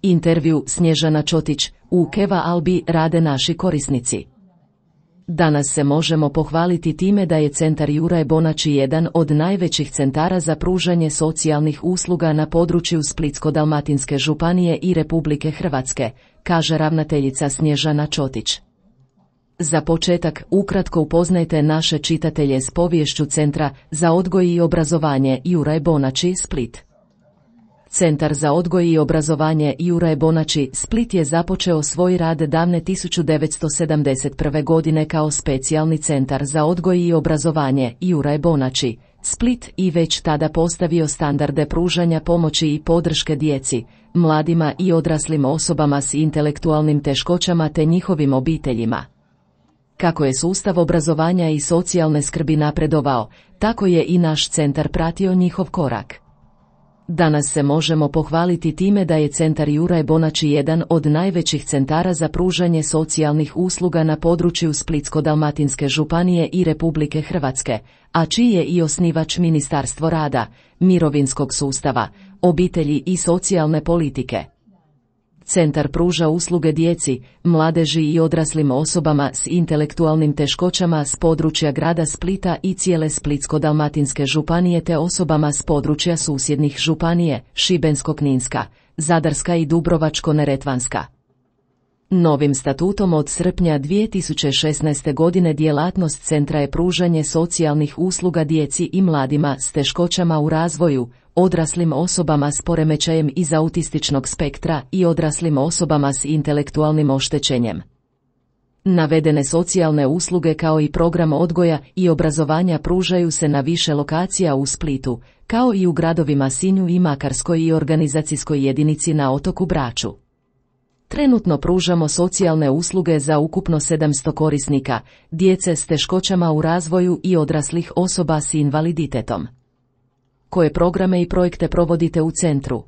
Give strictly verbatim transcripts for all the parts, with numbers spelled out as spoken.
Intervju Snježana Čotić, u Keva Albi rade naši korisnici. Danas se možemo pohvaliti time da je centar Juraj Bonači jedan od najvećih centara za pružanje socijalnih usluga na području Splitsko-dalmatinske županije i Republike Hrvatske, kaže ravnateljica Snježana Čotić. Za početak, ukratko upoznajte naše čitatelje s poviješću Centra za odgoj i obrazovanje Juraj Bonači, Split. Centar za odgoj i obrazovanje Juraj Bonači, Split je započeo svoj rad davne tisuću devetsto sedamdeset prve. godine kao specijalni centar za odgoj i obrazovanje Juraj Bonači, Split i već tada postavio standarde pružanja pomoći i podrške djeci, mladima i odraslim osobama s intelektualnim teškoćama te njihovim obiteljima. Kako je sustav obrazovanja i socijalne skrbi napredovao, tako je i naš centar pratio njihov korak. Danas se možemo pohvaliti time da je centar Juraj Bonači jedan od najvećih centara za pružanje socijalnih usluga na području Splitsko-dalmatinske županije i Republike Hrvatske, a čiji je i osnivač Ministarstvo rada, mirovinskog sustava, obitelji i socijalne politike. Centar pruža usluge djeci, mladeži i odraslim osobama s intelektualnim teškoćama s područja grada Splita i cijele Splitsko-dalmatinske županije te osobama s područja susjednih županije, Šibensko-kninska, Zadarska i Dubrovačko-neretvanska. Novim statutom od srpnja dvije tisuće šesnaeste. godine djelatnost centra je pružanje socijalnih usluga djeci i mladima s teškoćama u razvoju, odraslim osobama s poremećajem iz autističnog spektra i odraslim osobama s intelektualnim oštećenjem. Navedene socijalne usluge kao i program odgoja i obrazovanja pružaju se na više lokacija u Splitu, kao i u gradovima Sinju i Makarskoj i organizacijskoj jedinici na otoku Braču. Trenutno pružamo socijalne usluge za ukupno sedamsto korisnika, djece s teškoćama u razvoju i odraslih osoba s invaliditetom. Koje programe i projekte provodite u centru?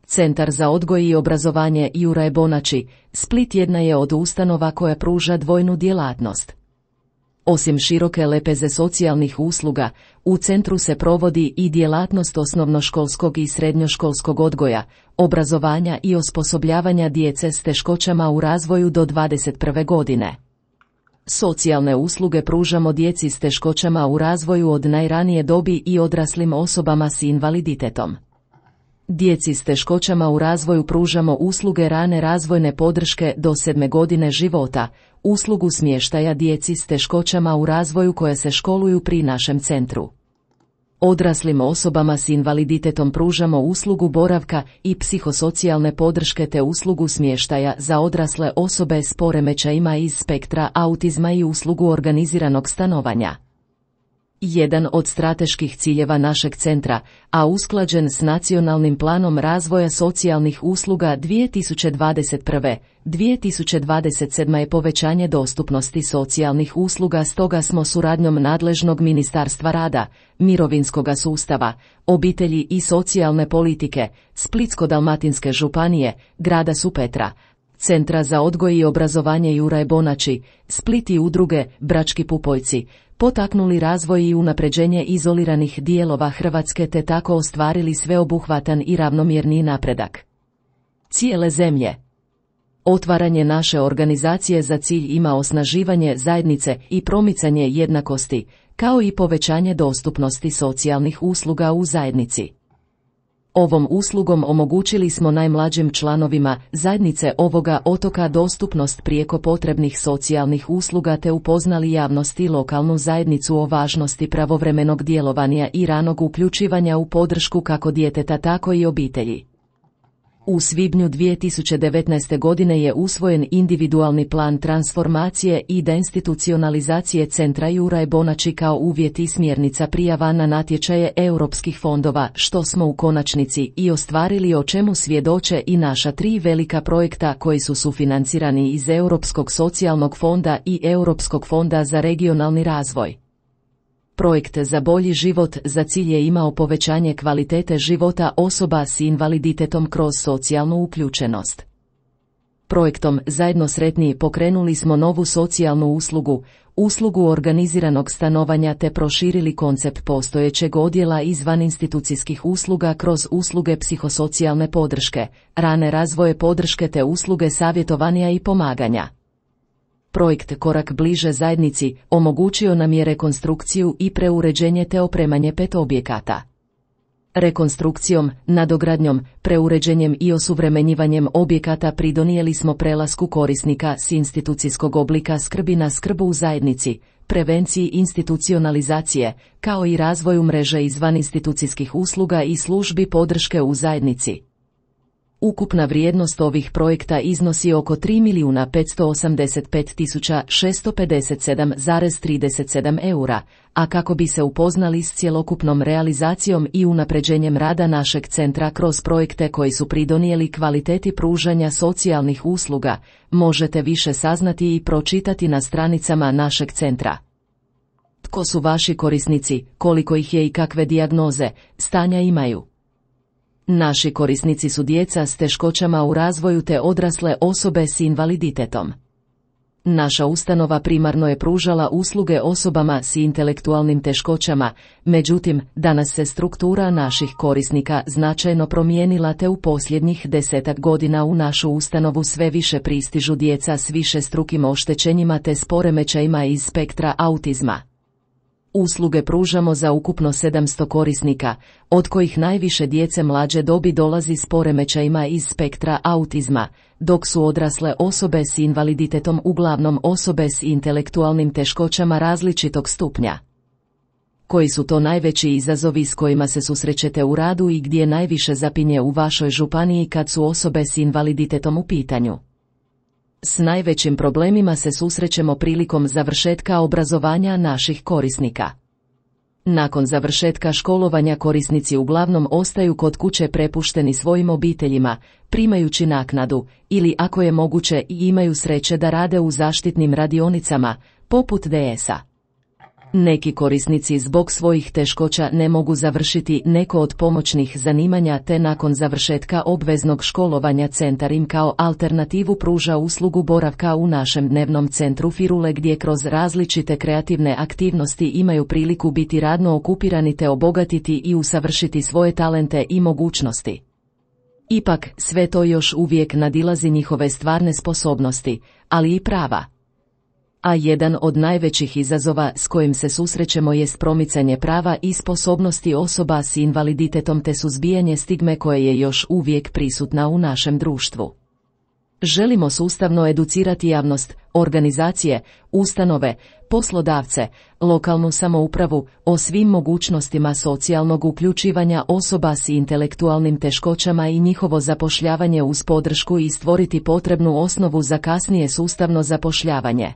Centar za odgoj i obrazovanje Juraj Bonači, Split jedna je od ustanova koja pruža dvojnu djelatnost. Osim široke lepeze socijalnih usluga, u centru se provodi i djelatnost osnovnoškolskog i srednjoškolskog odgoja, obrazovanja i osposobljavanja djece s teškoćama u razvoju do dvadeset prve. godine. Socijalne usluge pružamo djeci s teškoćama u razvoju od najranije dobi i odraslim osobama s invaliditetom. Djeci s teškoćama u razvoju pružamo usluge rane razvojne podrške do sedme godine života, uslugu smještaja djeci s teškoćama u razvoju koja se školuju pri našem centru. Odraslim osobama s invaliditetom pružamo uslugu boravka i psihosocijalne podrške te uslugu smještaja za odrasle osobe s poremećajima iz spektra autizma i uslugu organiziranog stanovanja. Jedan od strateških ciljeva našeg centra, a usklađen s Nacionalnim planom razvoja socijalnih usluga dvije tisuće dvadeset prve do dvije tisuće dvadeset sedme. je povećanje dostupnosti socijalnih usluga, stoga smo suradnjom nadležnog Ministarstva rada, mirovinskoga sustava, obitelji i socijalne politike, Splitsko-dalmatinske županije, grada Supetra, Centra za odgoj i obrazovanje Juraj Bonači, Split i udruge Brački pupoljci, potaknuli razvoj i unapređenje izoliranih dijelova Hrvatske te tako ostvarili sveobuhvatan i ravnomjerni napredak cijele zemlje. Otvaranje naše organizacije za cilj ima osnaživanje zajednice i promicanje jednakosti, kao i povećanje dostupnosti socijalnih usluga u zajednici. Ovom uslugom omogućili smo najmlađim članovima zajednice ovoga otoka dostupnost prijeko potrebnih socijalnih usluga te upoznali javnost i lokalnu zajednicu o važnosti pravovremenog djelovanja i ranog uključivanja u podršku kako djeteta tako i obitelji. U svibnju dvije tisuće devetnaeste. godine je usvojen individualni plan transformacije i deinstitucionalizacije centra Juraj Bonači kao uvjet i smjernica prijava na natječaje europskih fondova, što smo u konačnici i ostvarili, o čemu svjedoče i naša tri velika projekta koji su sufinancirani iz Europskog socijalnog fonda i Europskog fonda za regionalni razvoj. Projekt za bolji život za cilj je imao povećanje kvalitete života osoba s invaliditetom kroz socijalnu uključenost. Projektom Zajedno sretniji pokrenuli smo novu socijalnu uslugu, uslugu organiziranog stanovanja te proširili koncept postojećeg odjela izvan institucijskih usluga kroz usluge psihosocijalne podrške, rane razvoje podrške te usluge savjetovanja i pomaganja. Projekt Korak bliže zajednici omogućio nam je rekonstrukciju i preuređenje te opremanje pet objekata. Rekonstrukcijom, nadogradnjom, preuređenjem i osuvremenjivanjem objekata pridonijeli smo prelasku korisnika s institucijskog oblika skrbi na skrb u zajednici, prevenciji institucionalizacije, kao i razvoju mreže izvan institucijskih usluga i službi podrške u zajednici. Ukupna vrijednost ovih projekta iznosi oko tri milijuna petsto osamdeset pet tisuća šesto pedeset sedam zarez trideset sedam eura, a kako bi se upoznali s cjelokupnom realizacijom i unapređenjem rada našeg centra kroz projekte koji su pridonijeli kvaliteti pružanja socijalnih usluga, možete više saznati i pročitati na stranicama našeg centra. Tko su vaši korisnici, koliko ih je i kakve dijagnoze, stanja imaju? Naši korisnici su djeca s teškoćama u razvoju te odrasle osobe s invaliditetom. Naša ustanova primarno je pružala usluge osobama s intelektualnim teškoćama, međutim, danas se struktura naših korisnika značajno promijenila te u posljednjih desetak godina u našu ustanovu sve više pristižu djeca s višestrukim oštećenjima te s poremećajima iz spektra autizma. Usluge pružamo za ukupno sedamsto korisnika, od kojih najviše djece mlađe dobi dolazi s poremećajima iz spektra autizma, dok su odrasle osobe s invaliditetom uglavnom osobe s intelektualnim teškoćama različitog stupnja. Koji su to najveći izazovi s kojima se susrećete u radu i gdje najviše zapinje u vašoj županiji kad su osobe s invaliditetom u pitanju? S najvećim problemima se susrećemo prilikom završetka obrazovanja naših korisnika. Nakon završetka školovanja korisnici uglavnom ostaju kod kuće prepušteni svojim obiteljima, primajući naknadu, ili ako je moguće i imaju sreće da rade u zaštitnim radionicama, poput D S-a. Neki korisnici zbog svojih teškoća ne mogu završiti neko od pomoćnih zanimanja te nakon završetka obveznog školovanja centar im kao alternativu pruža uslugu boravka u našem dnevnom centru Firule gdje kroz različite kreativne aktivnosti imaju priliku biti radno okupirani te obogatiti i usavršiti svoje talente i mogućnosti. Ipak, sve to još uvijek nadilazi njihove stvarne sposobnosti, ali i prava. A jedan od najvećih izazova s kojim se susrećemo jest promicanje prava i sposobnosti osoba s invaliditetom te suzbijanje stigme koje je još uvijek prisutna u našem društvu. Želimo sustavno educirati javnost, organizacije, ustanove, poslodavce, lokalnu samoupravu o svim mogućnostima socijalnog uključivanja osoba s intelektualnim teškoćama i njihovo zapošljavanje uz podršku i stvoriti potrebnu osnovu za kasnije sustavno zapošljavanje.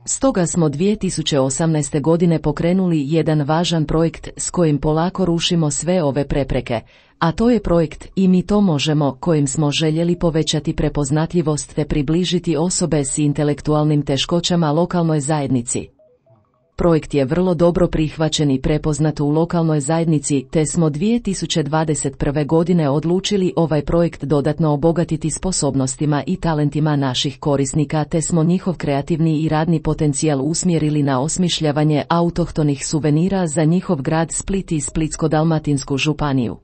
Stoga smo dvije tisuće osamnaeste. godine pokrenuli jedan važan projekt s kojim polako rušimo sve ove prepreke, a to je projekt I mi to možemo, kojim smo željeli povećati prepoznatljivost te približiti osobe s intelektualnim teškoćama lokalnoj zajednici. Projekt je vrlo dobro prihvaćen i prepoznat u lokalnoj zajednici te smo dvije tisuće dvadeset prve. godine odlučili ovaj projekt dodatno obogatiti sposobnostima i talentima naših korisnika te smo njihov kreativni i radni potencijal usmjerili na osmišljavanje autohtonih suvenira za njihov grad Split i Splitsko-dalmatinsku županiju.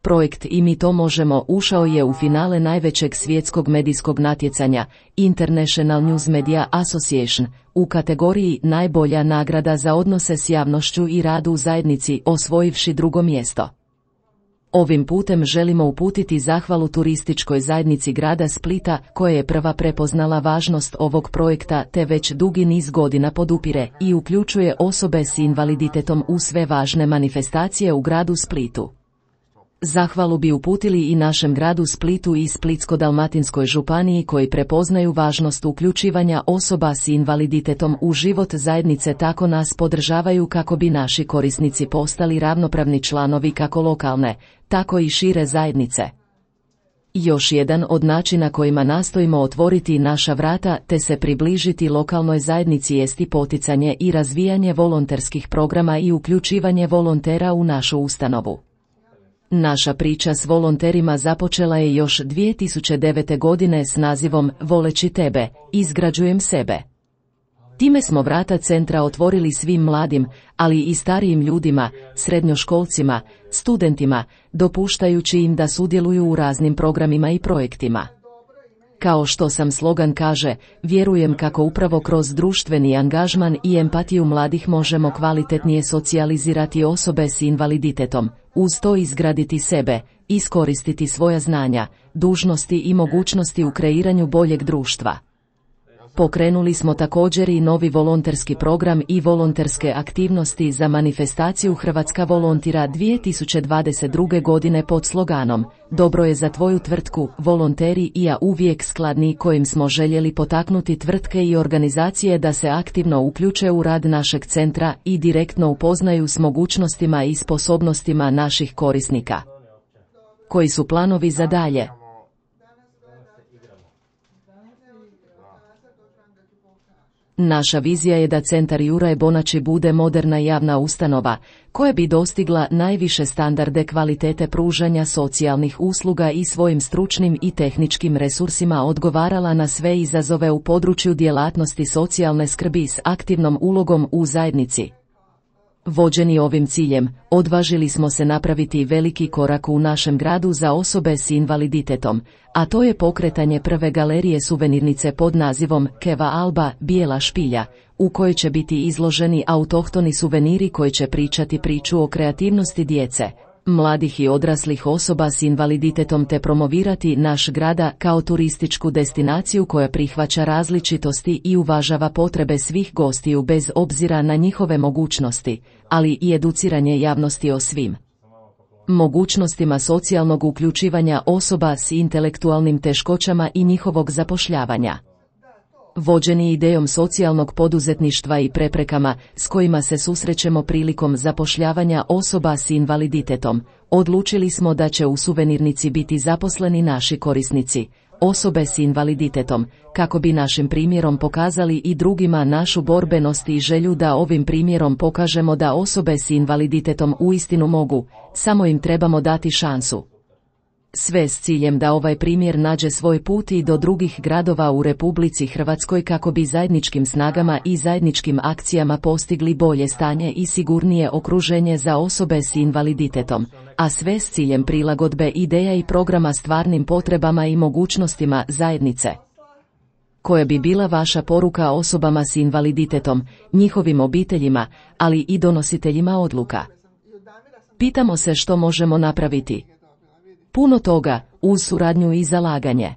Projekt I mi to možemo ušao je u finale najvećeg svjetskog medijskog natjecanja International News Media Association u kategoriji najbolja nagrada za odnose s javnošću i radu u zajednici, osvojivši drugo mjesto. Ovim putem želimo uputiti zahvalu turističkoj zajednici grada Splita koja je prva prepoznala važnost ovog projekta te već dugi niz godina podupire i uključuje osobe s invaliditetom u sve važne manifestacije u gradu Splitu. Zahvalu bi uputili i našem gradu Splitu i Splitsko-dalmatinskoj županiji koji prepoznaju važnost uključivanja osoba s invaliditetom u život zajednice tako nas podržavaju kako bi naši korisnici postali ravnopravni članovi kako lokalne, tako i šire zajednice. Još jedan od načina kojima nastojimo otvoriti naša vrata te se približiti lokalnoj zajednici jest i poticanje i razvijanje volonterskih programa i uključivanje volontera u našu ustanovu. Naša priča s volonterima započela je još dvije tisuće devete. godine s nazivom Voleći tebe, izgrađujem sebe. Time smo vrata centra otvorili svim mladim, ali i starijim ljudima, srednjoškolcima, studentima, dopuštajući im da sudjeluju u raznim programima i projektima. Kao što sam slogan kaže, vjerujem kako upravo kroz društveni angažman i empatiju mladih možemo kvalitetnije socijalizirati osobe s invaliditetom, uz to izgraditi sebe, iskoristiti svoja znanja, dužnosti i mogućnosti u kreiranju boljeg društva. Pokrenuli smo također i novi volonterski program i volonterske aktivnosti za manifestaciju Hrvatska volontira dvije tisuće dvadeset druge. godine pod sloganom Dobro je za tvoju tvrtku, volonteri i ja uvijek skladni, kojim smo željeli potaknuti tvrtke i organizacije da se aktivno uključe u rad našeg centra i direktno upoznaju s mogućnostima i sposobnostima naših korisnika. Koji su planovi za dalje? Naša vizija je da Centar Juraj Bonači bude moderna javna ustanova, koja bi dostigla najviše standarde kvalitete pružanja socijalnih usluga i svojim stručnim i tehničkim resursima odgovarala na sve izazove u području djelatnosti socijalne skrbi s aktivnom ulogom u zajednici. Vođeni ovim ciljem, odvažili smo se napraviti veliki korak u našem gradu za osobe s invaliditetom, a to je pokretanje prve galerije suvenirnice pod nazivom Keva Alba, Bijela špilja, u kojoj će biti izloženi autohtoni suveniri koji će pričati priču o kreativnosti djece, mladih i odraslih osoba s invaliditetom te promovirati naš grada kao turističku destinaciju koja prihvaća različitosti i uvažava potrebe svih gostiju bez obzira na njihove mogućnosti, ali i educiranje javnosti o svim mogućnostima socijalnog uključivanja osoba s intelektualnim teškoćama i njihovog zapošljavanja. Vođeni idejom socijalnog poduzetništva i preprekama s kojima se susrećemo prilikom zapošljavanja osoba s invaliditetom, odlučili smo da će u suvenirnici biti zaposleni naši korisnici, osobe s invaliditetom, kako bi našim primjerom pokazali i drugima našu borbenost i želju da ovim primjerom pokažemo da osobe s invaliditetom uistinu mogu, samo im trebamo dati šansu. Sve s ciljem da ovaj primjer nađe svoj put i do drugih gradova u Republici Hrvatskoj kako bi zajedničkim snagama i zajedničkim akcijama postigli bolje stanje i sigurnije okruženje za osobe s invaliditetom, a sve s ciljem prilagodbe ideja i programa stvarnim potrebama i mogućnostima zajednice. Koja bi bila vaša poruka osobama s invaliditetom, njihovim obiteljima, ali i donositeljima odluka? Pitamo se što možemo napraviti. Puno toga, uz suradnju i zalaganje.